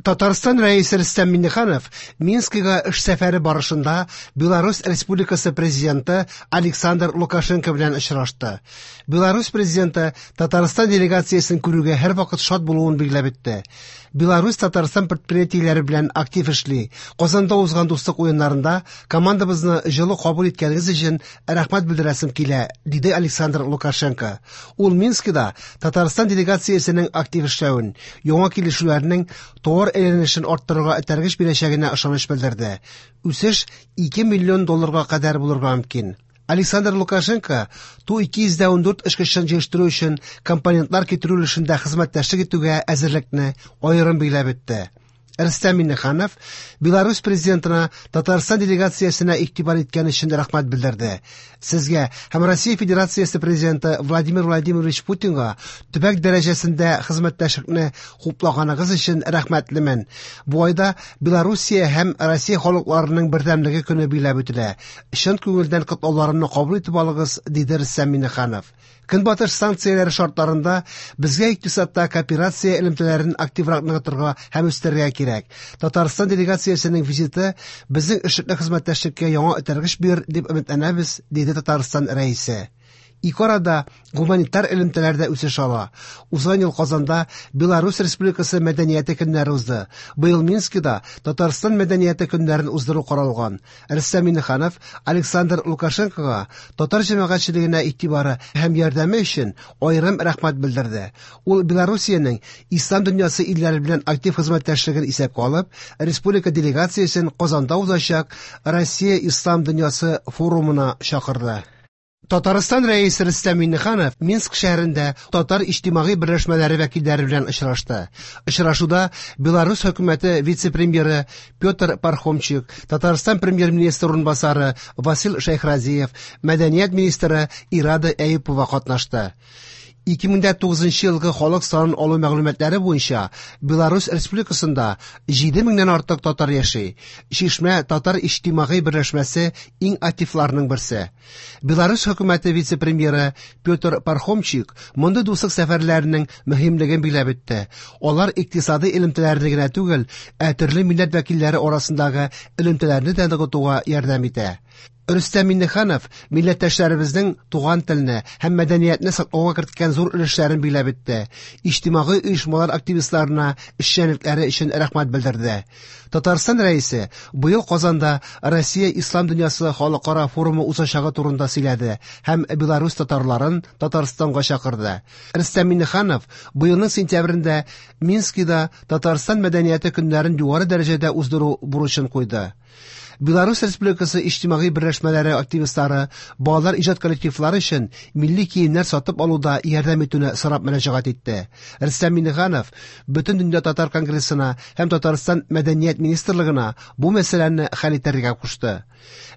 Татарстан Рәисе Рөстәм Миңнеханов Минскига эш сәфәре барышында Беларусь Республикасы президенты Александр Лукашенко белән очрашты. Беларусь президенты Татарстан делегациясен күрүгә һәрвакыт шат булуын билгеләп үтте. Беларусь Татарстан предприятиеләре белән актив эшли. Казанда узган дуслык уеннарында командабызны җылы кабул иткәнегез өчен рәхмәт белдерәсем килә, диде Александр Лукашенко. Ул Минскида Татарстан делегациясенең актив эшләвен, яңа килешүләрнең товар әйләнешен арттырырга этәргеч бирәчәгенә ышаныч белдерде. Үсеш 2 миллион долларга кадәр булырга мөмкин. Александр Лукашенко Ту-214 очкычын җыештыру өчен компонентлар китерү өлешендә хезмәттәшлек итүгә әзерлекне аерым билгеләп үтте. Рөстәм Миңнеханов Беларусь президентына Татарстан делегациясенә игътибар иткән өчен рәхмәт белдерде. Сезгә һәм Россия Федерациясе президенты Владимир Владимирович Путинга төбәк дәрәҗәсендә хезмәттәшлекне хуплаганыгыз өчен рәхмәтлемен. Бу айда Белоруссия һәм Россия халыкларының бердәмлеге көне билгеләп үтелә. Чын күңелдән котлауларымны кабул итеп алыгыз, диде Рөстәм Миңнеханов. Көнбатыш санкцияләре шартларында безгә икътисадта кооперация элемтәләрен активрак ныгытырга һәм үстерергә кирәк. Татарстан делегациясенең визиты безнең эшлекле хезмәттәшлеккә яңа этәргеч бирер дип өметләнәбез, диде Татарстан Рәисе. Ике арада гуманитар элемтәләр дә үсеш ала. Узган ел Казанда Беларусь Республикасы мәдәнияте көннәре узды. Быел Минскида Татарстан мәдәнияте көннәрен уздыру каралган. Рөстәм Миңнеханов Александр Лукашенкога татар җәмәгатьчелегенә игътибары һәм ярдәме өчен аерым рәхмәт белдерде. Ул Белоруссиянең ислам дөньясы илләре белән актив хезмәттәшлеген исәпкә алып, республика делегациясен Казанда узачак Россия ислам дөньясы форумына чакырды. Татарстан Рәисе Рөстәм Миңнеханов Минск шәһәрендә татар иҗтимагый берләшмәләре вәкилләре белән очрашты. Очрашуда Беларусь хөкүмәте вице-премьеры Петр Пархомчик, Татарстан премьер-министры урынбасары Васил Шәйхразиев, мәдәният министры Ирада Әюпова катнашты. 2009 елгы халык санын алу мәгълүматлары буенча Беларусь Республикасында 7 меңнән артык татар яши. Чишмә татар иҗтимагый берләшмәсе иң активларның берсе. Беларусь хөкүмәте вице-премьеры Петр Пархомчик мондый дуслык сәфәрләренең мөһимлеген билгеләп үтте. Алар икътисадый элемтәләрне генә түгел, ә төрле милләт вәкилләре арасындагы элемтәләрне дә ныгытуга ярдәм итә. Рөстәм Миңнеханов милләттәшләребезнең туган телне һәм мәдәниятне саклауга керткән зур өлешләрен билгеләп үтте. Иҗтимагый оешмалар активистларына эшчәнлекләре өчен рәхмәт белдерде. Татарстан Рәисе быел Казанда Россия ислам дөньясы халыкара форумы узачагы турында сөйләде һәм Беларусь татарларын Татарстанга чакырды. Рөстәм Миңнеханов быелның сентябрендә Минскида Татарстан мәдәнияте көннәрен югары дәрәҗәдә уздыру бурычын куйды. Беларусь Республикасы иҗтимагый берләшмәләре активистлары балалар иҗат коллективлары өчен милли киемнәр сатып алуда ярдәм итүне сорап мөрәҗәгать итте. Рөстәм Миңнеханов Бөтендөнья татар конгрессына һәм Татарстан мәдәният министрлыгына бу мәсьәләне хәл итәргә кушты.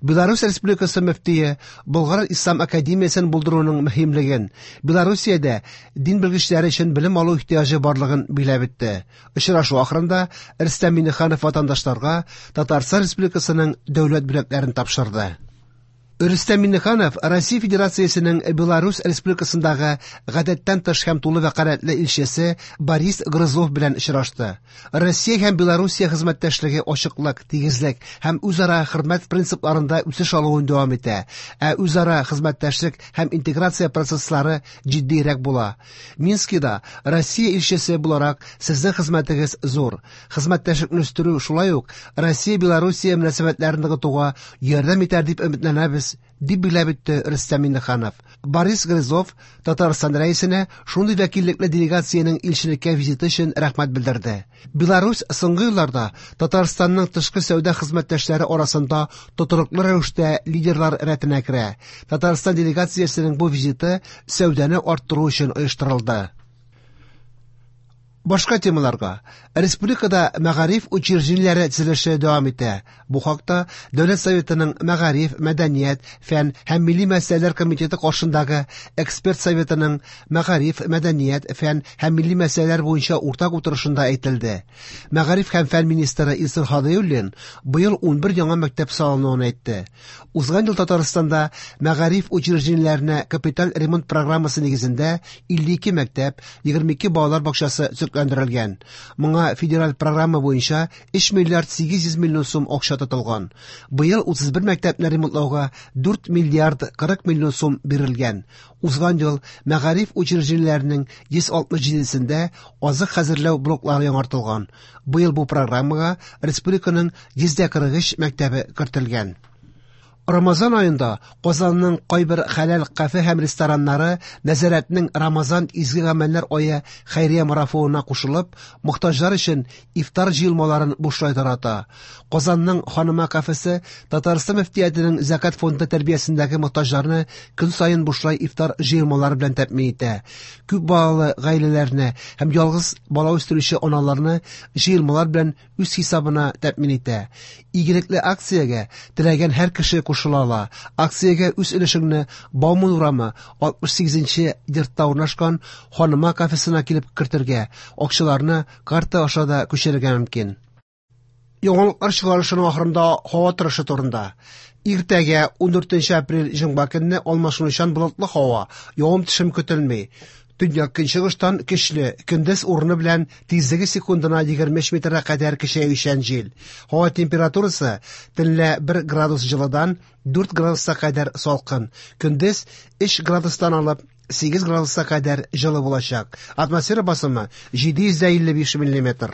Беларусь Республикасы мөфтие Болгар ислам академиясен булдыруның мөһимлеген, Белоруссиядә дин белгечләре өчен белем алу ихтыяҗы барлыгын билгеләп үтте. Очрашу ахырында Рөстәм Миңнеханов ватандашларга Татарстан Республикасының дәүләт бүләкләрен тапшырды. Рөстәм Миңнеханов Россия Федерациясенең Беларусь Республикасындагы гадәттән тыш һәм тулы вәкаләтле илчесе Борис Грызлов белән очрашты. Россия һәм Белоруссия хезмәттәшлеге ачыклык, тигезлек һәм үзара хөрмәт принципларында үсеш алуын дәвам итә, ә үзара хезмәттәшлек һәм интеграция процесслары җитдиерәк була. Минскида Россия илчесе буларак сезнең хезмәтегез зур. Хезмәттәшлекне үстерү шулай ук Россия-Белоруссия мөнәсәбәтләрен ныгытуга ярдәм итәр дип өметләнәбез, дип билгеләп үтте Рөстәм Миңнеханов. Борис Грызлов Татарстан Рәисенә шундый вәкиллекле делегациянең илчелеккә визиты өчен рәхмәт белдерде. Беларусь соңгы елларда Татарстанның тышкы сәүдә хезмәттәшләре арасында тотрыклы рәвештә лидерлар рәтенә керә. Татарстан делегациясенең бу визиты сәүдәне арттыру өчен оештырылды. Башка темаларга. Республикада мәгариф учреждениеләре төзелеше дәвам итә. Бу хакта Дәүләт Советының Мәгариф, мәдәният, фән һәм милли мәсьәләләр комитеты каршындагы эксперт советының мәгариф, мәдәният, фән һәм милли мәсьәләләр буенча уртак утырышында әйтелде. Мәгариф һәм фән министры Илсур Һадиуллин быел 11 яңа мәктәп салынуын әйтте. Узган ел Татарстанда мәгариф учреждениеләренә капиталь ремонт программасы нигезендә 52 мәктәп, 22 балалар бакчасы. төзекләндерелгән. Моңа федераль программа буенча 3 миллиард 800 миллион сум акча тотылган. Быел 31 мәктәпне ремонтлауга 4 миллиард 40 миллион сум бирелгән. Узган ел мәгариф учреждениеләренең 167сендә азык хәзерләү блоклары яңартылган. Быел бу программага республиканың 143 мәктәбе кертелгән. Рамазан аенда Казанның кайбер хәләл кафе һәм рестораннары нәзарәтнең Рамазан изге гамәлләр ае хәйрия марафонына кушылып, мохтаҗлар өчен ифтар җыелмаларын бушлай тарата. Казанның Ханыма кафесы Татарстан мөфтиятенең зәкят фонды тәрбиясендәге мохтаҗларны көн саен бушлай ифтар җыелмалары белән тәэмин итә. Күп балалы гаиләләрне һәм ялгыз бала үстерүче аналарны җыелмалар белән үз хисабына тәэмин итә. Игелекле акциягә теләгән һәр кеше кушыла ала. Акциягә үз өлешеңне Бауман урамы 68 йортта урнашкан Ханыма кафесына килеп кертергә, акчаларны карта аша да күчерергә мөмкин. Яңалыклар чыгарылышының ахырында һава торышы турында. Иртәгә 14 апрель җомга көнне алмашынучан болытлы һава, явым-төшем көтелми. Төньяк көнчыгыштан көчле, көндез урыны белән тизлеге секундына 23 метрга кадәр көчәючән җил. Һава температурасы төнлә 1 градус җылыдан 4 градуска кадәр салкын, көндез 3 градустан алып 8 градуска кадәр җылы булачак. Атмосфера басымы 755 миллиметр.